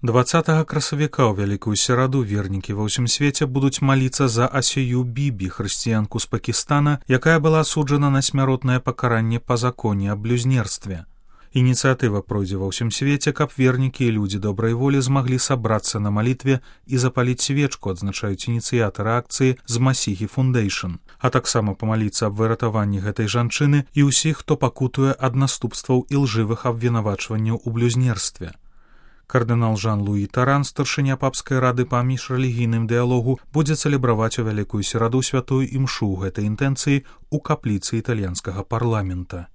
20 красавіка ў вялікую сераду вернікі ва ўсім свеце будуць маліцца за Асію Бібі, хрысціянку з Пакістана, якая была асуджана на смяротнае пакаранне па законе аб блюзнерстве. Ініцыятыва пройдзе ва ўсім свеце, каб вернікі і людзі добрай волі змаглі сабрацца на малітве і запаліць свечку, адзначаюць ініцыятары акцыі з Масіхі Фундейшн, а таксама памаліцца аб выратаванні гэтай жанчыны і ўсіх, хто пакутуе ад наступстваў і лжывых абвінавачванняў у блюзнерстве. Кардынал Жан-Луі Таран, старшыня папскай рады па міжрэлігійным дыялогу, будзе цэлебраваць у вялікую сераду святую імшу гэтай інтэнцыі ў капліцы італьянскага парламента.